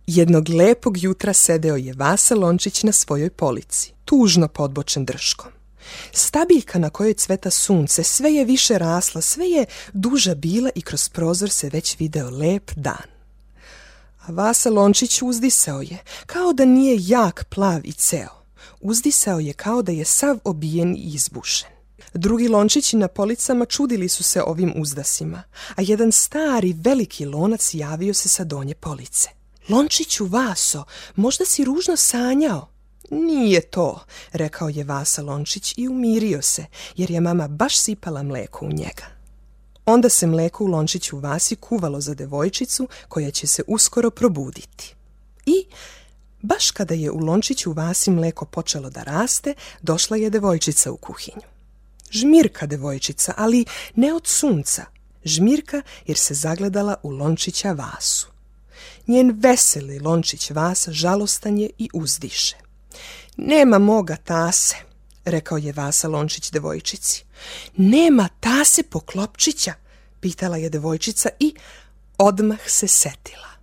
Jednog lepog jutra sedeo je Vasa Lončić na svojoj polici, tužno podbočen drškom. Stabiljka na kojoj cveta sunce sve je više rasla, sve je duža bila i kroz prozor se već video lep dan. A Vasa Lončić uzdisao je, kao da nije jak, plav i ceo. Uzdisao je kao da je sav obijen i izbušen. Drugi lončići na policama čudili su se ovim uzdasima, a jedan stari veliki lonac javio se sa donje police. Lončiću Vaso, možda si ružno sanjao? Nije to, rekao je Vasa Lončić i umirio se, jer je mama baš sipala mlijeko u njega. Onda se mlijeko u lončiću Vasi kuvalo za devojčicu koja će se uskoro probuditi. I baš kada je u lončiću Vasi mlijeko počelo da raste, došla je devojčica u kuhinju. Žmirka devojčica, ali ne od sunca. Žmirka jer se zagledala u lončića Vasu. Njen veseli lončić Vasa žalostan je i uzdiše. Nema moga tase, rekao je Vasa Lončić devojčici. Nema tase Poklopčića, pitala je devojčica i odmah se setila.